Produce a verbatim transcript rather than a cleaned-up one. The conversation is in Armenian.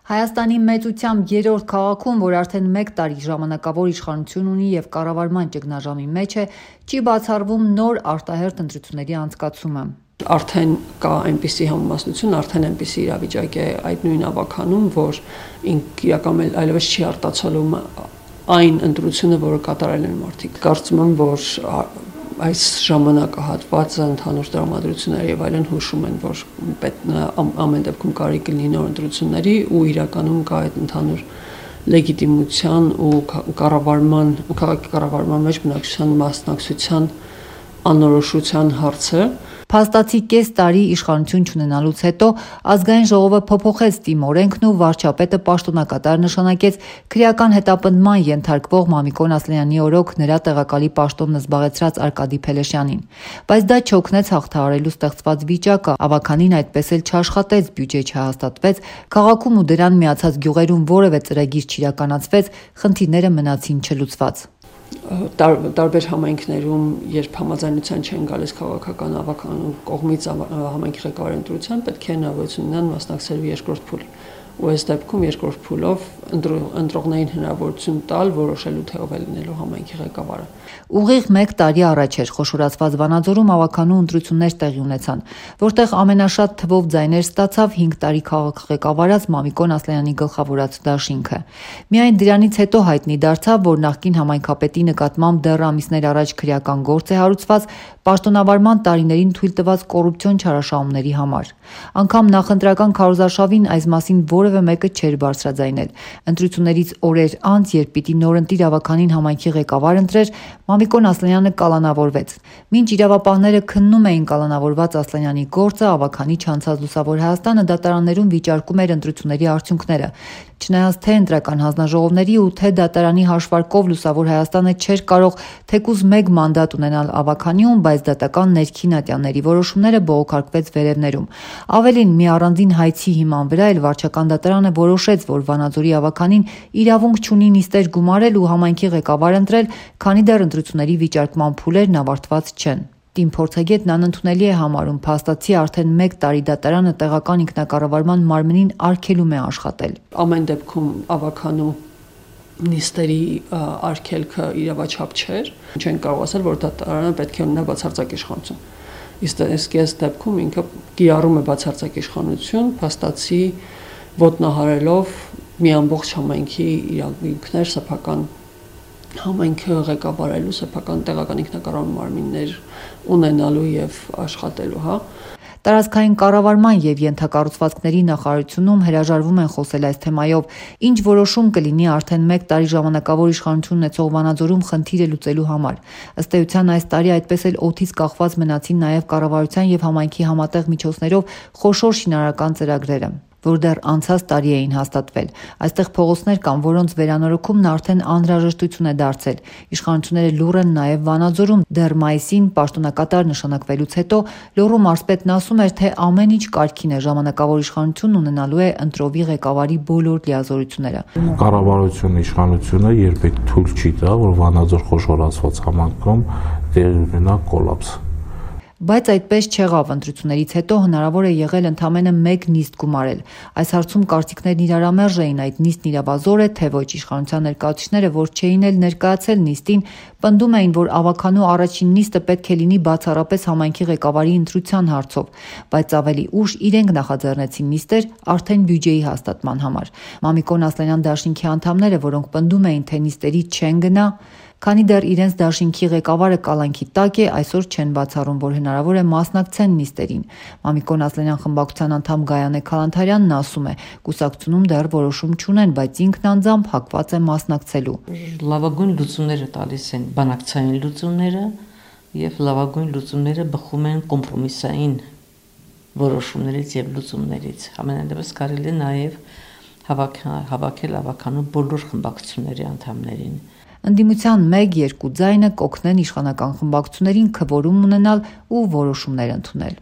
Հայաստանի մեծությամբ երրորդ քաղաքում, որ արդեն մեկ տարի ժամանակավոր իշխանություն ունի և կառավարման ճգնաժամի մեջ է, չի բացառվում նոր արտահերթ ընտրությունների անցկացումը։ Արդեն կա այնպիսի համամասնություն, արդեն այնպիսի իրավիճակ է այդ նույն ավականում, որ իրականում այլևս չի արտացոլում այն ընտրությունը, որը կատարել են մարդիկ։ Կարծում եմ, որ այս ժամանակահատվածը ընդհանուր տրամադրությունները եւ այլն հուշում են, որ ամեն դեպքում կարելի կլինի նոր ընտրությունների ու իրականում կա այդ ընդհանուր լեգիտիմության ու կառավարման, քաղաքի կառավարման մեջ բնակչության մասնակցության անորոշության հարցը։ Փաստացի կես տարի իշխանություն չունենալուց հետո ազգային ժողովը փոփոխեց թիմ օրենքն ու վարչապետը պաշտոնակատար նշանակեց քրեական հետապնդման ենթարկվող Մամիկոն Ասլանյանի օրոք նրա տեղակալի պաշտոնն զբաղեցրած Արկադի Փելեշյանին։ Բայց դա չօգնեց հաղթահարելու ստեղծված վիճակը, ավականին այդպես էլ չաշխատեց, բյուջե չհաստատվեց, քաղաքում ու դրան միացած գյուղերում որևէ ծրագիր չիրականացվեց, խնդիրները մնացին չլուծված։ Տարբեր համայնքներում, երբ համաձայնության չեն գալիս քաղաքական ավական կողմից համայնքի ղեկավարի ընտրության, պետք է հնարավորություն ունենան մասնակցելու երկրորդ փուլի։ Ու այս դեպքում երկրորդ փուլով ընտրողներին հնարավորություն տալ որոշելու թե ով է լինելու համայնքի ղեկավարը։ Ուղիղ մեկ տարի առաջ էր խոշորացված Վանաձորում ավականու ընտրություններ տեղի ունեցան, որտեղ ամենաշատ թվով ձայներ ստացավ հինգ տարի քաղաք ղեկավարած Մամիկոն Ասլանյանի գլխավորած դաշինքը։ Միայն դրանից հետո հայտնի դարձավ, որ նախկին համայնքապետի նկատմամբ դեռ ամիսներ առաջ քրեական գործ է հարուցված պաշտոնավարման տարիներին թույլ տված կոռուպցիոն չարաշահումների համար։ Անգամ նախընտրական քարոզարշավին այս մասին որևէ մեկը չէր բարձրաձայնել։ Ընտրություններից օրեր անց, երբ պիտի նորընտիր ավականին համայնքի ղեկավար ընտրեր, Մամիկոն Ասլանյանը կալանավորվեց։ Մինչ իրավապահները քննում էին կալանավորված Ասլանյանի գործը, ավականի չանցած Լուսավոր Հայաստանը դատարաններում վիճարկում էր ընտրությունների արդյունքները։ Չնայած թե ընտրական հանձնաժողովների ու թե դատարանի հաշվարկով Լուսավոր Հայաստանը չէր կարող թեկուզ մեկ մանդատ ունենալ ավականիում, բայց դատական ներքին ատյանների որոշումները բողոքարկվեց վերևներում։ Ավելին, մի առանձին հայցի հիման վրա էլ վարչական դատարանը որոշեց, որ Վանաձորի ավականին իրավունք չունի նիստեր գումարել ու համայնքի ղեկավար ընտրել, քանի դեռ ընտրությունների վիճարկման փուլերն ավարտված չեն։ Տիմ փորձագետն անընդունելի է համարում փաստացի արդեն մեկ տարի դատարանը տեղական ինքնակառավարման մարմնին արգելում է աշխատել։ Ամեն դեպքում ավականու նիստերի արգելքը իրավաչափ չէր, չեն կարող ասել, որ դատարանը պետք է ունենա բացարձակ իշխանություն։ Իսկ այս դեպքում ինքը կիրառում է բացարձակ իշխանություն, փաստացի ոտնահարելով մի ամբողջ համայնքի իրավունքներ, սեփական համայնքը ղեկավարելու, սեփական տեղական ինքնակառավարման մարմիններ ունենալու եւ աշխատելու, հա։ Տարածքային կառավարման եւ ենթակառուցվածքների նախարարությունում հրաժարվում են խոսել այս թեմայով, ինչ որոշում կլինի արդեն մեկ տարի ժամանակավոր իշխանություն ունեցող Վանաձորում խնդիրը լուծելու համար։ Ըստ էության այս տարի այդպես էլ օդից կախված մնացին նաեւ կառավարության եւ համայնքի համատեղ միջոցներով խոշոր շինարարական ծրագրերը, որ դեռ անցած տարի էին հաստատվել։ Այստեղ փողոցներ կան, որոնց վերանորոգումն արդեն անհրաժեշտություն է դարձել։ Իշխանությունները լուռ են նաև Վանաձորում։ Դեռ մայիսին պաշտոնակատար նշանակվելուց հետո լոռու մարզպետն ասում էր, թե ամեն ինչ կարգին է, ժամանակավոր իշխանություն ունենալու է ընտրովի ղեկավարի բոլոր լիազորությունները։ Կառավարությունը, իշխանությունը երբեք թույլ չի տա, որ Վանաձոր խոշորացված համայնքում տեղի ունենա կոլապս։ Բայց այդպես չեղավ, ընտրություններից հետո հնարավոր է եղել ընդամենը մեկ նիստ գումարել։ Այս հարցում կարծիքներն իրարամերժ էին, այդ նիստն իրավազոր է, թե ոչ։ Իշխանության ներկայացուցիչները, որ չէին էլ ներկայացել նիստին, պնդում էին, որ ավականու առաջին նիստը պետք է լինի բացառապես համայնքի ղեկավարի ընտրության հարցով, բայց ավելի ուշ իրենք նախաձեռնեցին նիստեր արդեն բյուջեի հաստատման համար։ Մամիկոն Ասլանյան դաշինքի անդամները, որոնք պնդում էին, թե նիստերի չեն գնա, քանի դեռ իրենց դաշինքի ղեկավարը կալանքի տակ է, այսօր չեն բացառում, որ հնարավոր է մասնակցեն նիստերին։ Մամիկոն Ասլանյան խմբակցության անդամ Գայանե Քալանթարյանն ասում է, կուսակցությունում դեռ որոշում չունեն, բայց ինքն անձամբ հակված է մասնակցելու։ Լավագույն լուծումները տալիս են բանակցային լուծումները եւ լավագույն լուծումները բխում են կոմպրոմիսային որոշումներից եւ լուծումներից։ Ամենայնպես կարելի է նաեւ հավաքել ավականու բոլոր խմբակցությունների անդամներին։ Ընդդիմության մեկ-երկու ձայնը կօգնեն իշխանական խմբակցություններին քվորում ունենալ ու որոշումներ ընդունել։